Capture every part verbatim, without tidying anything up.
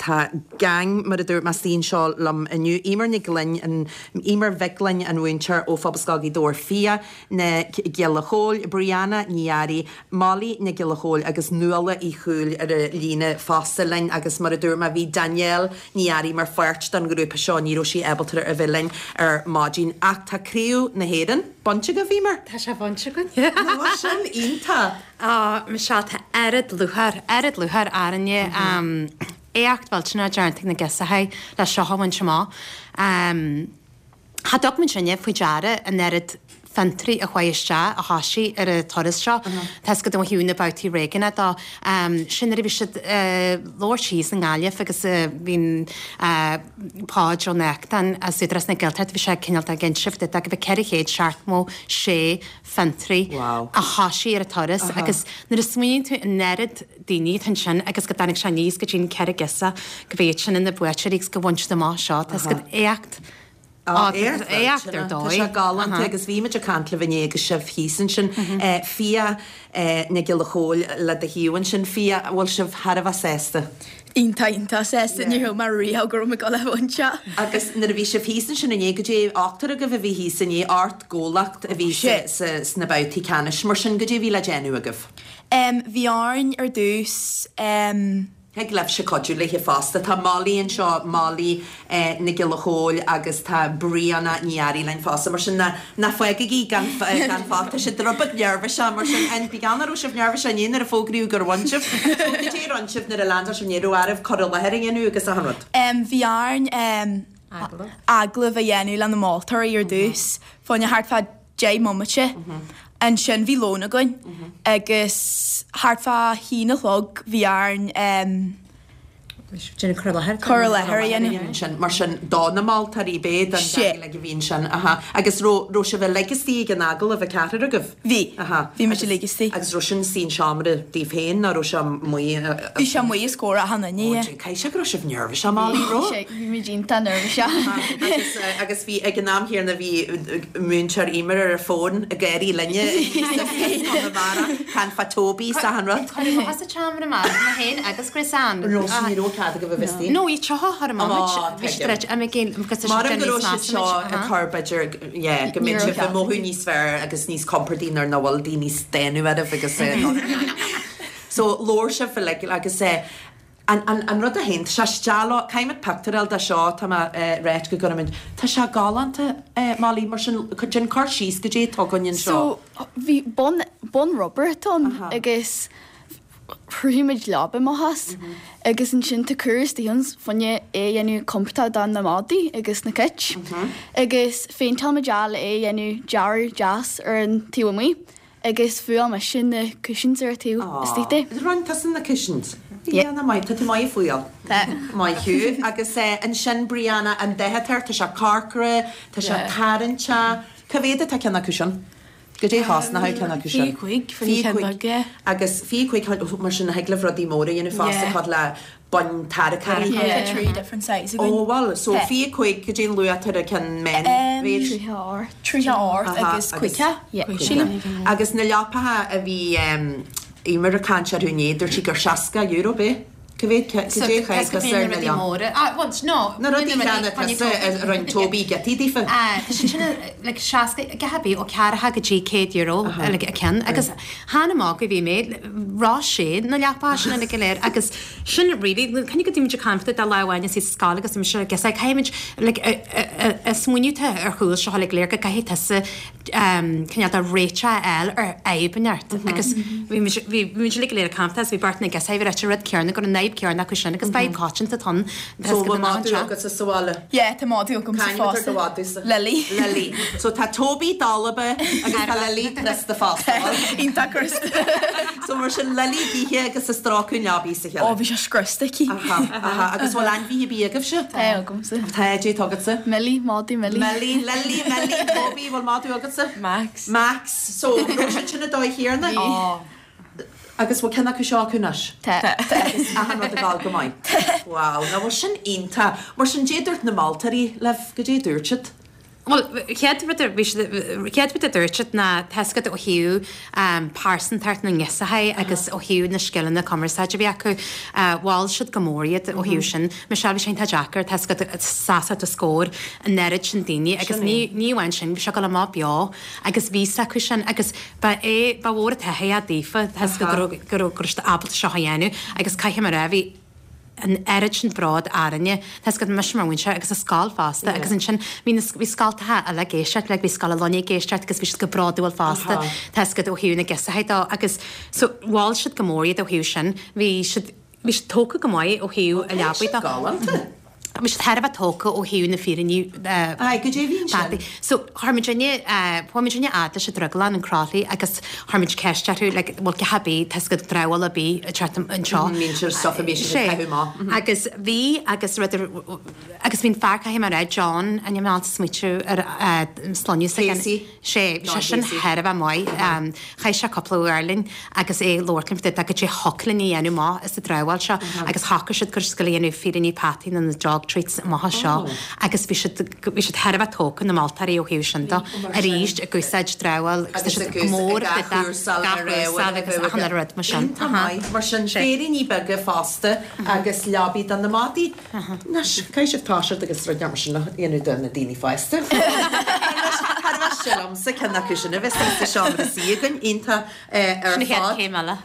tá gang mar a dúirt mé istigh anseo liom inniu. Emer Nic Gloinn an Emer Mhic Gloinn an mhúinteoir ó Phobalscoil Ghaoth Dobhair Fia Nic Giolla Chóill, Brianna Ní Fhearraigh, Molly Nic Giolla Chóill agus Nuala Uí Chúil ar an líne fosta linn agus mar a dúirt mé bhí Danielle Ní Fhearraigh mar pháirt den ghrúpa seo ní raibh sí ábalta a bheith linn ar maidin ach tá craobh na hÉireann bainte agaibh Emer. Tá sé bainte againn. sin iontach. Á Michelle tá oiread lúcháir oiread lúcháir orainne éacht mhillteanach déanta ag na girseachaí le seo a bhaint amach. Cha dtug muid sinne faoi deara an oiread fiontraí a chuaigh isteach a thoisigh ar an turas seo. Tá go dtí na babhtaí réigiúnacha dó. Sin nuair a bhí siad labhairt thíos i nGaillimh agus bhí'n Páid Ó Neachtain as Údarás na Gaeltachta bhí sé cineál ag inse go bhí ceithre chéad seachtó sé fiontraí a thoisigh ar an turas agus nuair a smaoiníonn tú an oiread daoine atá ansin agus go dtáinig sé aníos go dtí an ceithre girseach go bhí sin ina buaiteoirí agus go bhain siad amach seo Tá go éacht éacht ar dóigh. Tá sé galánta agus bhí muid ag caint libh inné agus sibh thíos ansin Fia Nic Giolla Chóill le do thaobh ansin Fia bhfuil sibh thar a bheith sásta. Iontach iontach sásta ní raibh mé riamh go raibh mé ag dul a bhaint seo. Agus nuair a bhí sibh thíos ansin inné goidé ochtar agaibh a bhí thíos inné ocht gcomhlacht a bhí sna babhtaí ceannais mar sin goidé bhí le déanamh agaibh. Bhí orainn ar dtús Thig libhse cuidiú léi fosta. Tá Molly anseo Molly Nic Giolla Chóill agus tá Brianna Ní Fhearraigh linn fosta mar sin ná ná fágaigí gan gan fágtha sé rud beag neirbhíseach mar sin an bí gan raibh sibh neirbhíseach inné nuair a fógraíodh gur bhain sibh. So goidé a rinne sibh nuair a landáil sibh ní raibh oraibh cur i láthair a dhéanamh agus achan rud. Bhí orainn agallamh a dhéanamh le na moltóirí ar dtús, fá choinne thart fá deich mbomaite. Ansin bhí lón againn agus thart fá haon a chlog bhí orainn Déanamh cur i láthair. cur i láthair a dhéanamh. Sin mar sin do na moltóirí b'é don Sé. a bhí ansin aha agus raibh raibh sibh uilig istigh ag an agallamh an ceathrar agaibh. Bhí Aha. Bhí muid uilig istigh. Agus raibh sin sa seomra daoibh féin nó raibh sé amuigh Bhí sé amuigh os comhair achan duine. Caithfidh sé go raibh sibh neirbhíseach Molly raibh? Bhí muid iontach neirbhíseach. agus agus bhí ag an am chéanna bhí múinteoir Emer ar ar fón ag éirí linne Can fa Toby sa han rud. Chuir sa tseomra amach mé féin agus Chris Ann. Ro ní raibh cead agaibh a bheith istigh. No, í teo thar Ó, bhí siad ag agus Mar go raibh siad seo ag cur b'fhéidir yeah, go mbeidh sibh ag mothú níos fearr agus níos compordaí nuair nach bhfuil daoine déanamh oraibh agus So labhair sibh uilig agus eh, an, an, an rud a haon sé steall caithfimid pictiúr de seo tá mé réit go gcuirfimid Tá sé galánta eh, Molly mar sin déan cur síos goidé atá againn anseo. So bhí bonn bonn rubber ann Aha. agus chruthaigh muid leaba amach as agus ansin tá cur istigh fá choinne é a dhéanamh compordach do na madaí agus na cait agus phéinteáil muid é le é a dhéanamh dearadh deas ar an taobh amuigh agus fuáil mise na cushions ar an taobh istigh de. Rinne tusa na cushions. Yeah. Yeah, maith tá tú maith ag fuáil. Tá. Maith thú agus eh, ansin Brianna an dath atá air tá sé corcra, tá sé Yeah. tarraingteach. Cá mhéad atá ceann acu sin? Goidé chosnaithe ceann acu sin. Fiche cúig, fiche Fiche beag, yeah. Agus fiche cúig mar sin thig libh rudaí móra a dhéanamh fosta Yeah. cad le boinn tarracóirí. Yeah. Tá three different sizes againn. Ó well, so Yeah. fiche cúig goidé an luach ar ceann men Um, méid. Tríocha ocht. Tríocha ocht Aha, agus caoga. Yeah. Sílim. Agus na leapacha a bhí um, Emer ag caint orthu inné, dúirt sí gur seasca euro b'é. Cá mhéad goidé chuig ar na leap. móra. Ah, well, no. Na rudaí cheana tusa a rinne Toby giotaí daofa. Ah, Tá sin like seasca gahabí ó ceathracha go dtí céad euro like, a ceann agus hána má go bhí mé rá sé na leapa sin na go léir agus sin really can go dtíid cainte de leháin is scoil agus se gus caiimid a smaoineamh ar chúl seo le léir go caithfidh tusa cineál de réiteach eil ar fhadhb agus bhí muid le léir campta bhí beirt na gus reit rud cearna go an fhadhb cearna acu sin agus fadhb coitianta ann So bhfuil madadh agat sa bhaile. Yeah, tá madadh agam sa Cainimid ar fosta. do mhadadh Lily. Lily. So tá Toby dalba agus tá Lily Krista fosta. Iontach Krista. So mar sin Lily gíthe agus a strácún leabaí sa Ó chéile. bhí sé scriosta aici. Aha, aha, agus bhfuil ainmhithe bí agaibhse? Tá agamsa. Tá dé agatsa? Millie, madadh Millie. Millie, Lily, Millie, Toby, bhfuil madadh agatsa? Max. Max, so raibh siad sin a dóigh chéarna? Ó. Agus bhfuil ceann acu seo acu anois? Tá. Agus achan rud ag dul go maith. Wow, ná bhfuil sin iontach. Mar sin goidé dúirt na moltóirí libh goidé dúirt siad. Well, chéad rud a bhí siad chéad rud a dúirt siad ná tá 'fhios agat ó thaobh um, pearsantacht na ngirseachaí agus ó thaobh na scileanna cumarsáide a bhí acu, uh, mhol siad go mór iad ó thaobh sin. Michelle bhí sé tá deacair tá 'fhios agat seasamh os comhair an oiread sin daoine agus ní ní amháin sin bhí sé ag dul amach beo agus bhí acu sin agus ba é ba mhór an taithí daofa tá 'fhios agat go raibh go raibh go raibh siad ábalta seo a dhéanamh agus caithfidh mé a rá bhí an oiread sin bród orainne Tá 'fhios agat mise mar mhúinteoir agus an scoil fosta agus ansin bhí na bhí scoltacha eile ag éisteacht le bhí Scoil an Luinnigh ag éisteacht agus bhí siad go bródúil fosta Tá 'fhios agat ó thaobh na girseachaí dó agus so mhol siad go mór iad ó thaobh sin bhí siad bhí siad tógtha go maith ó thaobh a leabaí dó. Galánta. Bhí siad thar a bheith tógtha ó thaobh na féiríní Aye, go dté sin. So chuir muidinne chuaigh muidinne fhad leis an drioglann in Crothlaí agus chuir muid ceist orthu like, bhfuil cé bith tá 'fhios agat dramhaíl ar bith ag teacht anseo. Mín stuff a bhí siad ag caitheamh amach. Agus bhí agus rud agus bhí'n fear caithfidh mé a rá John an am smaoitiú ar sloinne Casey. sé John sé sin Casey. thar a bheith maith chaith sé cúpla uair linn agus é labhairt linn go dté thoclinn a dhéanamh maith is a dramhaíl seo agus thacaigh siad gur scoil dhéanamh féiríní peataí na dog treats amach seo agus bhí siad bhí siad thar a bheith tógtha na moltóirí ó thaobh sin dó arís ag úsáid dramhaíl Agus agus ag go mór úsáid agus achan rud mar sin. Iontach maith, mar sin féiríní beaga fosta agus leabaí do na madaí. Anois, caithfidh sibh toiseacht agus rud mar sin a dhéanamh do na daoine fásta. Thar sin liomsa ceann acu sin a bheith sa seomra suí againn iontach ar Sin chéad fad. céim eile.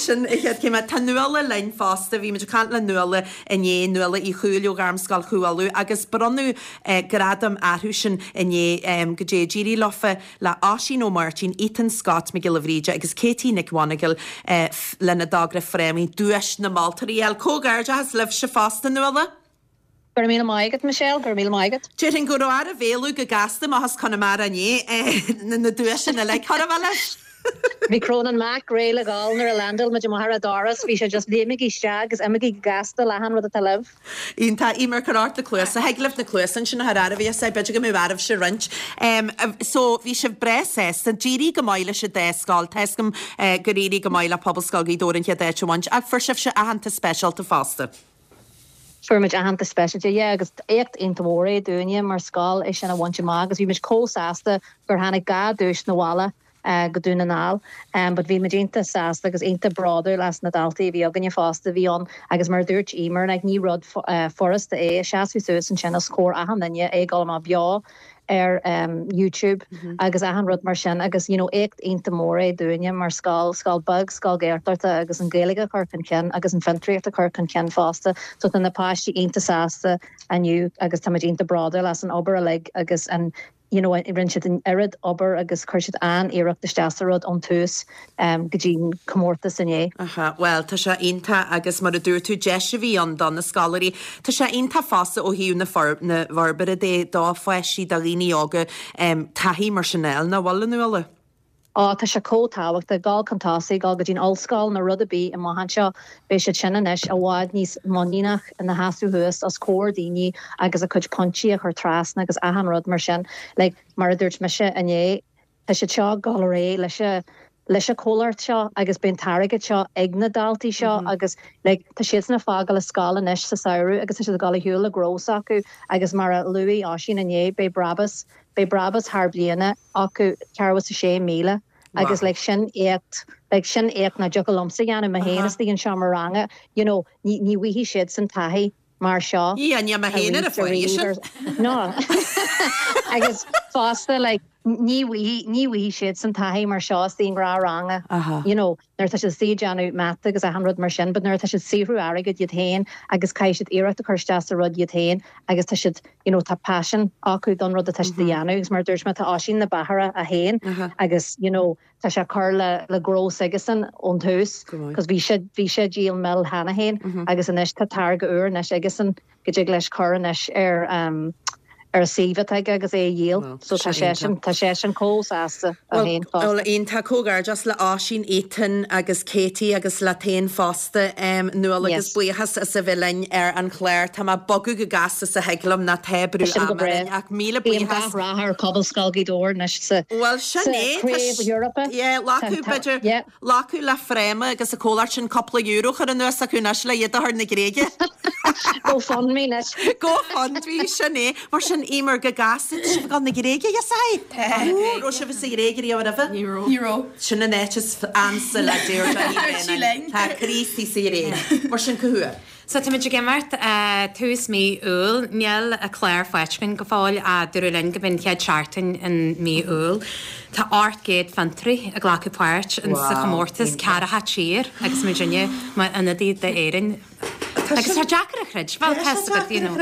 Sin a chéad chéim Tá Nuala linn fosta, bhí muid ag caint le Nuala inné Nuala Uí Chúil ó Ghairmscoil Chú Uladh agus bronnadh eh, gradam orthu sin inné um, go dé d'éirigh leofa le Oisín Ó Máirtín, Ethan Scott Mac Giolla Bhríde agus Katie Nic Mhonagail eh, lena dtogra frámaí duais na moltóirí el Comhghairdeachas libhse fosta Nuala? Gur mí maiigad Michelle, gur mí maiigad. Déarfainn go raibh oraibh éalú go gasta amach as Conamara inné eh, na duaiseanna le chu leis. Bhí Cronan Mac réidh le gabháil nuair a landáil muid amach an doras, bhí sé just léimigí isteach agus imígí gasta le han rud atá libh. Iontach Eimear chuir na cluasa thig libh na cluasa sin a bhí sé b'fhéidir go mbeadh oraibh se roinnt. Um, so bhí sibh breá sásta d'éirigh go maith leis an dá scoil Tá 'fhios agam uh, gur éirigh go maith le Pobalscoil Ghaoth Dobhair an chéad áit a bhaint ach fuair sibh se aitheantas speisialta fosta. Fuair muid aitheantas speisialta yeah, agus éacht iontach mór é dúinne mar scoil é sin a bhaint amach agus bhí muid chomh sásta gur tháinig dhá duais na bhaile uh, go Dún na nGall um, but bhí muid iontach sásta agus iontach bródúil as na daltaí bhí againne fosta bhí an agus mar dúirt Eimear like, ní rud uh, furasta é seasamh suas ansin os comhair achan duine é gal má beo ar um, YouTube mm -hmm. agus achan rud mar sin agus you know, éacht iontach mór é dúinne mar scoil scoil beag scoil Gaeltachta agus an Ghaeilge a chur chun cinn agus an fhiontraíocht a chur chun cinn fosta so tá na páistí iontach sásta inniu agus tá iontach bródúil as an obair uilig agus an you know, rinne siad an oiread obair agus chuir siad an-iarracht isteach sa rud ón tús um, go dtí comórtas inné. Aha, well tá sé iontach agus mar a dúirt tú deis a bhí ann do na scoláirí. Tá sé iontach fosta ó thaobh na for na forbartha de dá pháistí do dhaoine óga um, taithí mar sin eile nach bhfuil Nuala. Á tá sé chomh tábhachtach gabháil chun tosaigh gabháil go dtí'n ollscoil nó rud ar bith amach anseo beidh siad sin anois i bhfad níos muiníneach ina sheasamh thuas os comhair daoine agus a chuid pointí a chur trasna agus achan rud mar sin like, mar a dúirt mise inné tá siad seo ag gabháil leis leis an comhlacht seo agus bíonn airgead seo ag na daltaí seo mm -hmm. agus like, tá siad ag fágáil an scoil anois sa samhradh agus tá siad ag gabháil ar shiúl le gnó acu agus mar a luaigh Oisín inné beidh brabús beidh brabús thar bliana acu ceathracha a sé míle. agus like, sin éacht like, sin éacht nach dtiocfadh liomsa dhéanamh mé féin istigh anseo mar ranga you know, ní ní bhfaighidh siad san taithí mar seo. Yeah, ní mé féin ar a fuair No agus fosta like, ní ní bhfaighidh siad san taithí mar seo istigh gra ranga you know nuair tá siad ag déanamh mata agus achan rud mar sin, but nuair tá siad saothrú airgead iad féin agus caithfidh siad iarracht a chur isteach sa rud iad féin agus tá siad you know, tá passion acu don rud atá siad a dhéanamh agus mar dúirt mé tá Oisín na bahara a haon agus you know, tá sé chur le le gnó s'aigesan ón tús, cos bhí sé bhí sé díol mil cheana féin agus anois tá táirge úr anois aigesan go dtig leis chur anois ar um, ar a suíomh agus é a dhíol so tá sé sin tá sé sin chomh sásta a haon Well iontach comhghairdeas le Oisín Ethan agus Katie agus le tain fosta um, Nuala agus buíochas as a bheith linn ar an chlár Tá má bogadh go gasta sa heiglam na tebrú ach míle buíochas rath ar Pobalscoil Ghaoth Dobhair anois sa Well sin é Craobh Europa Lacu b'fhéidir lacu le fréma agus a cóir sin cúpla euro chur anuas acu anois le iad a chur na Gréige. GoFundMe anois. GoFundMe sin é mar sin Eimear go gasta sibh ag dul na Gréige yes I. Raibh sibh sa Ghréig riamh roimhe? Ní raibh. Ní raibh. Sin an áit is ansa le Deirdre Ní Dúirt sí linn. Tá Críostaí sa Ghréig. Mar sin cá huair? So táimid ag imeacht tús mí Iúil. Níl an clár faighte againn go fóill ach dúradh linn go mb'in chéad seachtain in mí Iúil. Tá ocht gcéad fiontraí ag glacadh páirt in sa chomórtas ceathracha tír agus muidinne mar ionadaí d'Éirinn. Agus tá deacair a chreidbheáil, tá fhios agat, you know.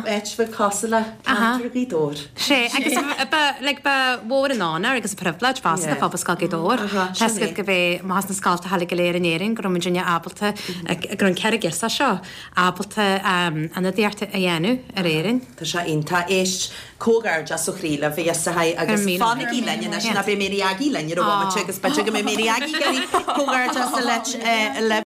Áit bheag cosúil le ceantar Ghaoth Dobhair. Sé, agus ba, like, ba mhór an onóir agus an pribhléid fosta do Phobalscoil Ghaoth Dobhair. Tá fhios agat go bheith amach as na scoltacha go léir in Éirinn go raibh muidinne ábalta, go raibh an ceithre ghirseach seo ábalta ionadaíocht a dhéanamh ar Éirinn. Tá sé iontach. Éist, comhghairdeas ó chroí libh, a ghirseachaí, agus fanaigí linn anois, ná beidh Mary Aggie linn ar an bhomaite agus b'fhéidir go mbeidh Mary Aggie ag iarraidh comhghairdeas a leat libh.